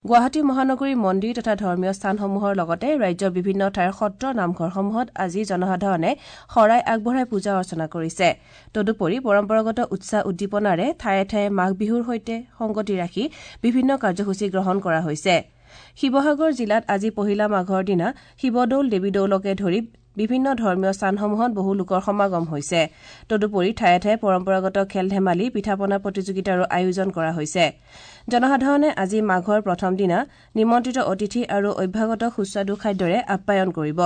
গুৱাহাটী মহানগৰীৰ মন্দিৰ তথা ধৰ্মীয় স্থানসমূহৰ লগতে ৰাজ্যৰ বিভিন্ন ঠাইৰ সত্ৰ নামঘৰসমূহত আজি জনসাধাৰণে শৰাই আগবঢ়াই পূজা অৰ্চনা কৰিছে। তদুপৰি পৰম্পৰাগত উৎসাহ উদ্দীপনাৰে ঠায়ে ঠায়ে মাঘ বিহুৰ সৈতে সংগতি ৰাখি বিভিন্ন কাৰ্যসূচী গ্ৰহণ কৰা হৈছে। শিৱসাগৰ জিলাত আজি পহিলা মাঘৰ দিনা শিৱদৌল, দেৱীদৌলকে ধৰি বিভিন্ন ধৰ্মীয় স্থানসমূহত বহু লোকৰ সমাগম হৈছে। তদুপৰি ঠায়ে ঠায়ে পৰম্পৰাগত খেল ধেমালি, পিঠা-পনা প্ৰতিযোগিতাৰো আয়োজন কৰা হৈছে। জনসাধাৰণে আজি মাঘৰ প্ৰথম দিনা নিমন্ত্ৰিত অতিথি আৰু অভ্যাগতক সুস্বাদু খাদ্যৰে আপ্যায়ন কৰিব।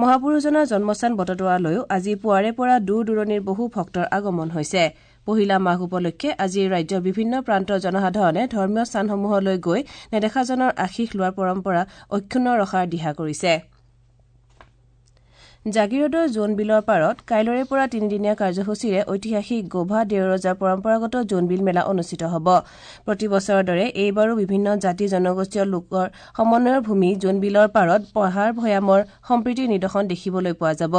মহাপুৰুষজনাৰ জন্মস্থান বটদ্ৰৱালৈও আজি পুৱাৰে পৰা দূৰ দূৰণিৰ বহু ভক্তৰ আগমন হৈছে। পহিলা মাঘ উপলক্ষে আজি ৰাজ্যৰ বিভিন্ন প্ৰান্তৰ জনসাধাৰণে ধৰ্মীয় স্থানসমূহলৈ গৈ নেদেখাজনৰ আশীষ লোৱাৰ পৰম্পৰা অক্ষুণ্ণ ৰখাৰ দিহা কৰিছে। জাগীৰোডৰ জোনবিলৰ পাৰত কাইলৈৰে পৰা তিনিদিনীয়া কাৰ্যসূচীৰে ঐতিহাসিক গোভা দেওৰজাৰ পৰম্পৰাগত জোনবিল মেলা অনুষ্ঠিত হ'ব। প্ৰতি বছৰৰ দৰে এইবাৰো বিভিন্ন জাতি জনগোষ্ঠীয় লোকৰ সমন্বয়ৰ ভূমি জোনবিলৰ পাৰত পাহাৰ ভৈয়ামৰ সম্প্ৰীতিৰ নিদৰ্শন দেখিবলৈ পোৱা যাব।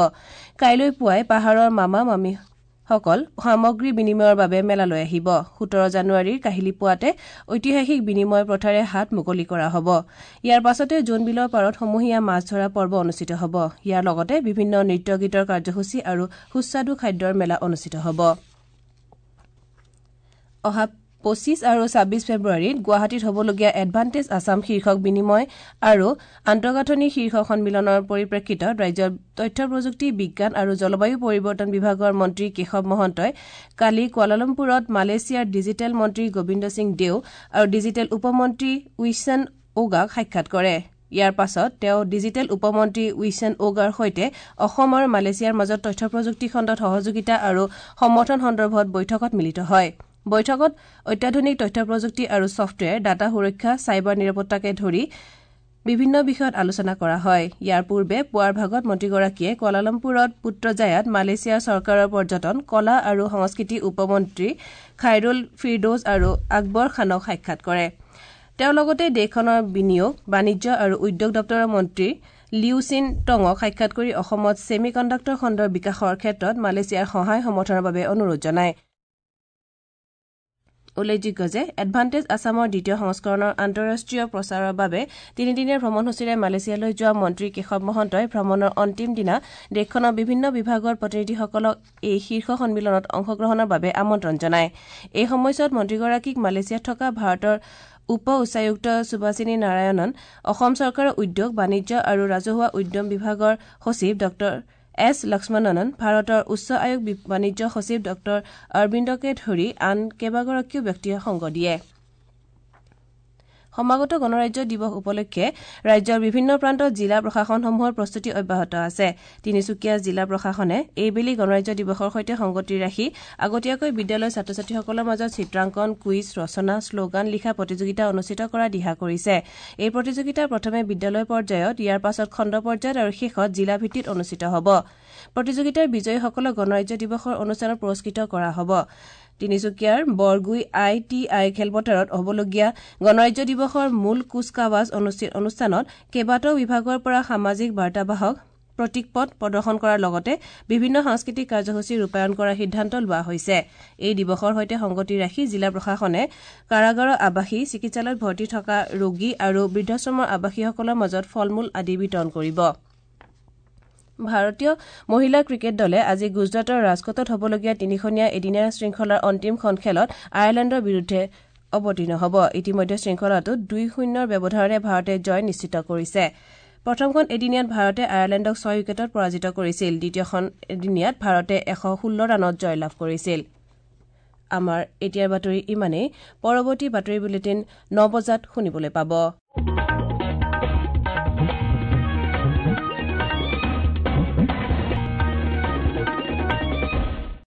কাইলৈ পুৱাই পাহাৰৰ মামা মামীসকল সামগ্ৰী বিনিময়ৰ বাবে মেলালৈ আহিব। ১৭ জানুৱাৰীৰ কাহিলী পুৱাতে ঐতিহাসিক বিনিময় প্ৰথাৰে হাত মুকলি কৰা হ'ব। ইয়াৰ পাছতে জোনবিলৰ পাৰত সমূহীয়া মাছ ধৰা পৰ্ব অনুষ্ঠিত হ'ব। ইয়াৰ লগতে বিভিন্ন নৃত্য গীতৰ কাৰ্যসূচী আৰু সুস্বাদু খাদ্যৰ মেলা অনুষ্ঠিত হ'ব। অহা ২৫ আৰু ২৬ ফেব্ৰুৱাৰীত গুৱাহাটীত হ'বলগীয়া এডভান্টেজ আছাম শীৰ্ষক বিনিময় আৰু আন্তঃগাঁথনি শীৰ্ষক সন্মিলনৰ পৰিপ্ৰেক্ষিতত ৰাজ্যৰ তথ্য প্ৰযুক্তি, বিজ্ঞান আৰু জলবায়ু পৰিৱৰ্তন বিভাগৰ মন্ত্ৰী কেশৱ মহন্তই কালি কুৱালালামপুৰত মালয়েছিয়াৰ ডিজিটেল মন্ত্ৰী গোবিন্দ সিং দেও আৰু ডিজিটেল উপমন্ত্ৰী উইছন ওগাক সাক্ষাৎ কৰে। ইয়াৰ পাছত তেওঁ ডিজিটেল উপমন্ত্ৰী উইছন ওগাৰ সৈতে অসম আৰু মালয়েছিয়াৰ মাজত তথ্য প্ৰযুক্তি খণ্ডত সহযোগিতা আৰু সমৰ্থন সন্দৰ্ভত বৈঠকত মিলিত হয়। বৈঠকত অত্যাধুনিক তথ্য প্ৰযুক্তি আৰু ছফ্টৱেৰ, ডাটা সুৰক্ষা, চাইবাৰ নিৰাপত্তাকে ধৰি বিভিন্ন বিষয়ত আলোচনা কৰা হয়। ইয়াৰ পূৰ্বে পুৱাৰ ভাগত মন্ত্ৰীগৰাকীয়ে কুৱালালামপুৰত পুত্ৰজায়াত মালয়েছিয়াৰ চৰকাৰৰ পৰ্যটন, কলা আৰু সংস্কৃতি উপমন্ত্ৰী খাইৰুল ফিৰদৌজ আৰু আকবৰ খানক সাক্ষাৎ কৰে। তেওঁ লগতে দেশখনৰ বিনিয়োগ, বাণিজ্য আৰু উদ্যোগ দপ্তৰৰ মন্ত্ৰী লিউ চিন টঙক সাক্ষাৎ কৰি অসমত ছেমি কণ্ডাক্টৰ খণ্ডৰ বিকাশৰ ক্ষেত্ৰত মালয়েছিয়াৰ সহায় সমৰ্থনৰ বাবে অনুৰোধ জনায়। উল্লেখযোগ্য যে এডভান্টেজ আছামৰ দ্বিতীয় সংস্কৰণৰ আন্তঃৰাষ্ট্ৰীয় প্ৰচাৰৰ বাবে তিনিদিনীয়া ভ্ৰমণসূচীৰে মালয়েছিয়ালৈ যোৱা মন্ত্ৰী কেশৱ মহন্তই ভ্ৰমণৰ অন্তিম দিনা দেশখনৰ বিভিন্ন বিভাগৰ প্ৰতিনিধিসকলক এই শীৰ্ষ সন্মিলনত অংশগ্ৰহণৰ বাবে আমন্ত্ৰণ জনায়। এই সময়ছোৱাত মন্ত্ৰীগৰাকীক মালয়েছিয়াত থকা ভাৰতৰ উপ উচ্চায়ুক্ত সুভাষিনী নাৰায়ণন, অসম চৰকাৰৰ উদ্যোগ, বাণিজ্য আৰু ৰাজহুৱা উদ্যম বিভাগৰ সচিব ডঃ এছ লক্ষ্মণন, ভাৰতৰ উচ্চ আয়োগ বাণিজ্য সচিব ডঃ অৰবিন্দকে ধৰি আন কেইবাগৰাকীও ব্যক্তিয়ে সংগ দিয়ে। সমাগত গণৰাজ্য দিৱস উপলক্ষে ৰাজ্যৰ বিভিন্ন প্ৰান্তত জিলা প্ৰশাসনসমূহৰ প্ৰস্তুতি অব্যাহত আছে। তিনিচুকীয়া জিলা প্ৰশাসনে এইবেলি গণৰাজ্য দিৱসৰ সৈতে সংগতি ৰাখি আগতীয়াকৈ বিদ্যালয়ৰ ছাত্ৰ-ছাত্ৰীসকলৰ মাজত চিত্ৰাংকন, কুইজ, ৰচনা, শ্লোগান লিখা প্ৰতিযোগিতা অনুষ্ঠিত কৰাৰ দিহা কৰিছে। এই প্ৰতিযোগিতা প্ৰথমে বিদ্যালয় পৰ্যায়ত, ইয়াৰ পাছত খণ্ড পৰ্যায়ত আৰু শেষত জিলা ভিত্তিত অনুষ্ঠিত হ'ব। প্ৰতিযোগিতাৰ বিজয়ীসকলক গণৰাজ্য দিৱসৰ অনুষ্ঠানত পুৰস্কৃত কৰা হ'ব। তিনিচুকীয়াৰ বৰগুই I T I খেলপথাৰত হ'বলগীয়া গণৰাজ্য দিৱসৰ মূল কুচকাৱাজ অনুষ্ঠানত কেইবাটাও বিভাগৰ পৰা সামাজিক বাৰ্তাবাহক প্ৰতীকপট প্ৰদৰ্শন কৰাৰ লগতে বিভিন্ন সাংস্কৃতিক কাৰ্যসূচী ৰূপায়ণ কৰাৰ সিদ্ধান্ত লোৱা হৈছে। এই দিৱসৰ সৈতে সংগতি ৰাখি জিলা প্ৰশাসনে কাৰাগাৰৰ আৱাসী, চিকিৎসালয়ত ভৰ্তি থকা ৰোগী আৰু বৃদ্ধাশ্ৰমৰ আৱাসীসকলৰ মাজত ফল-মূল আদি বিতৰণ কৰিব। ভাৰতীয় মহিলা ক্ৰিকেট দলে আজি গুজৰাটৰ ৰাজকোটত হ'বলগীয়া তিনিখনীয়া এদিনীয়া শৃংখলাৰ অন্তিমখন খেলত আয়াৰলেণ্ডৰ বিৰুদ্ধে অৱতীৰ্ণ হ'ব। ইতিমধ্যে শৃংখলাটোত ২-০ ব্যৱধানেৰে ভাৰতে জয় নিশ্চিত কৰিছে। প্ৰথমখন এদিনীয়াত ভাৰতে আয়াৰলেণ্ডক ৬ উইকেটত পৰাজিত কৰিছিল। দ্বিতীয়খন এদিনীয়াত ভাৰতে ১১৬ ৰানত জয়লাভ কৰিছিল। আমাৰ এতিয়াৰ বাতৰি ইমানেই। পৰৱৰ্তী বাতৰি বুলেটিন ৯ বজাত শুনিবলৈ পাব।